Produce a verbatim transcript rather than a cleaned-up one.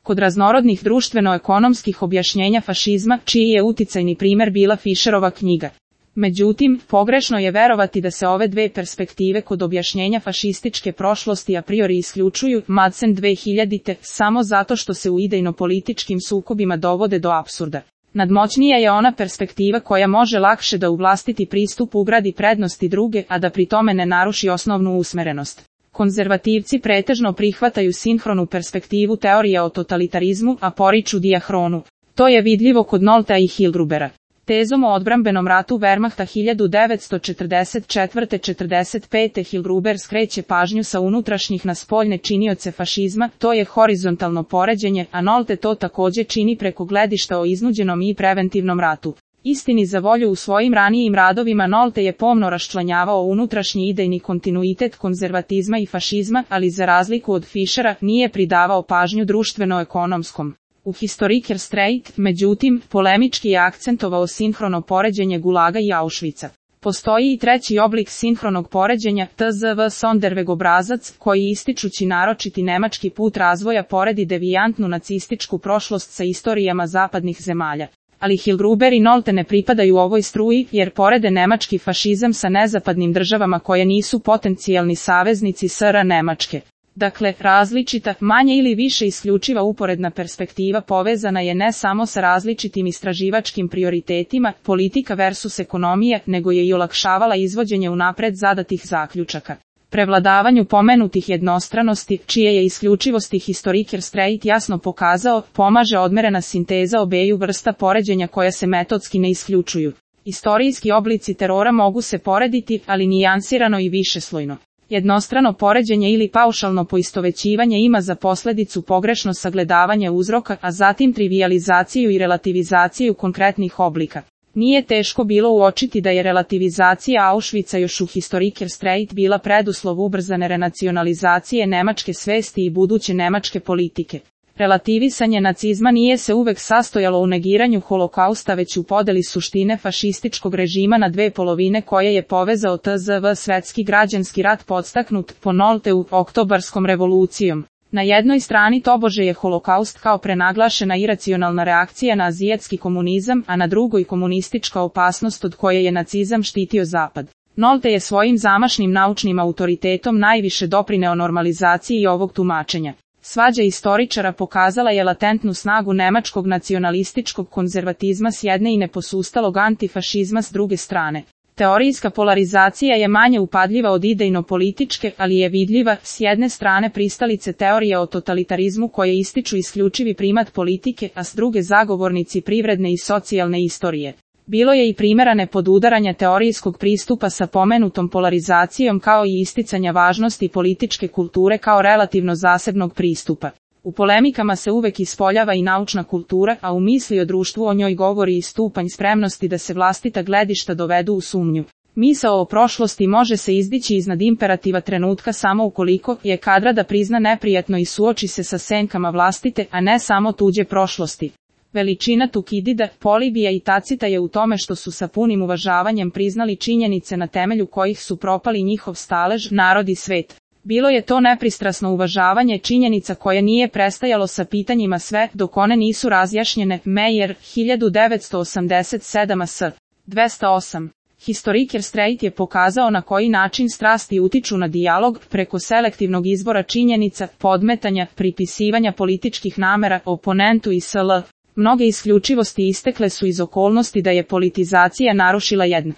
Kod raznorodnih društveno-ekonomskih objašnjenja fašizma, čiji je uticajni primer bila Fischerova knjiga. Međutim, pogrešno je verovati da se ove dve perspektive kod objašnjenja fašističke prošlosti a priori isključuju, Madsen dve hiljadite, samo zato što se u idejno-političkim sukobima dovode do apsurda. Nadmoćnija je ona perspektiva koja može lakše da u vlastiti pristup ugradi prednosti druge, a da pri tome ne naruši osnovnu usmerenost. Konzervativci pretežno prihvataju sinhronu perspektivu teorija o totalitarizmu, a poriču dijahronu. To je vidljivo kod Noltea i Hildrubera. Tezom o odbrambenom ratu Wehrmachta hiljadu devetsto četrdeset četvrte do četrdeset pete Hildruber skreće pažnju sa unutrašnjih na spoljne činioce fašizma, to je horizontalno poređenje, a Nolte to takođe čini preko gledišta o iznuđenom i preventivnom ratu. Istini za volju u svojim ranijim radovima Nolte je pomno raščlanjavao unutrašnji idejni kontinuitet konzervatizma i fašizma, ali za razliku od Fischera nije pridavao pažnju društveno-ekonomskom. U Historiker Streit, međutim, polemički je akcentovao sinhrono poređenje Gulaga i Auschwitza. Postoji i treći oblik sinhronog poređenja, tzv. Sonderweg obrazac, koji ističući naročiti nemački put razvoja poredi devijantnu nacističku prošlost sa istorijama zapadnih zemalja. Ali Hildruber i Nolte ne pripadaju ovoj struji, jer porede nemački fašizam sa nezapadnim državama koje nisu potencijalni saveznici S R Nemačke. Dakle, različita, manje ili više isključiva uporedna perspektiva povezana je ne samo sa različitim istraživačkim prioritetima, politika versus ekonomije, nego je i olakšavala izvođenje unapred zadatih zaključaka. Prevladavanju pomenutih jednostranosti, čije je isključivosti Historiker Streit jasno pokazao, pomaže odmerena sinteza obeju vrsta poređenja koja se metodski ne isključuju. Istorijski oblici terora mogu se porediti, ali nijansirano i višeslojno. Jednostrano poređenje ili paušalno poistovećivanje ima za posledicu pogrešno sagledavanje uzroka, a zatim trivijalizaciju i relativizaciju konkretnih oblika. Nije teško bilo uočiti da je relativizacija Auschwitza još u Historiker Streit bila preduslov ubrzane renacionalizacije nemačke svesti i buduće nemačke politike. Relativisanje nacizma nije se uvek sastojalo u negiranju holokausta već u podeli suštine fašističkog režima na dve polovine koje je povezao tzv. Svetski građanski rat podstaknut po Nolteu oktobarskom revolucijom. Na jednoj strani tobože je holokaust kao prenaglašena iracionalna reakcija na azijatski komunizam, a na drugoj komunistička opasnost od koje je nacizam štitio Zapad. Nolte je svojim zamašnim naučnim autoritetom najviše doprineo normalizaciji ovog tumačenja. Svađa istoričara pokazala je latentnu snagu nemačkog nacionalističkog konzervatizma s jedne i neposustalog antifašizma s druge strane. Teorijska polarizacija je manje upadljiva od idejno-političke, ali je vidljiva, s jedne strane pristalice teorije o totalitarizmu koje ističu isključivi primat politike, a s druge zagovornici privredne i socijalne istorije. Bilo je i primjera nepodudaranja teorijskog pristupa sa pomenutom polarizacijom kao i isticanja važnosti političke kulture kao relativno zasebnog pristupa. U polemikama se uvek ispoljava i naučna kultura, a u misli o društvu o njoj govori i stupanj spremnosti da se vlastita gledišta dovedu u sumnju. Misao o prošlosti može se izdići iznad imperativa trenutka samo ukoliko je kadra da prizna neprijatno i suoči se sa senkama vlastite, a ne samo tuđe prošlosti. Veličina Tukidida, Polibija i Tacita je u tome što su sa punim uvažavanjem priznali činjenice na temelju kojih su propali njihov stalež, narod i svet. Bilo je to nepristrasno uvažavanje činjenica koje nije prestajalo sa pitanjima sve dok one nisu razjašnjene. Meyer, hiljadu devetsto osamdeset sedam a s. dvesta osam. Historiker Streit je pokazao na koji način strasti utiču na dijalog preko selektivnog izbora činjenica, podmetanja, pripisivanja političkih namera oponentu i sl. Mnoge isključivosti istekle su iz okolnosti da je politizacija narušila jedno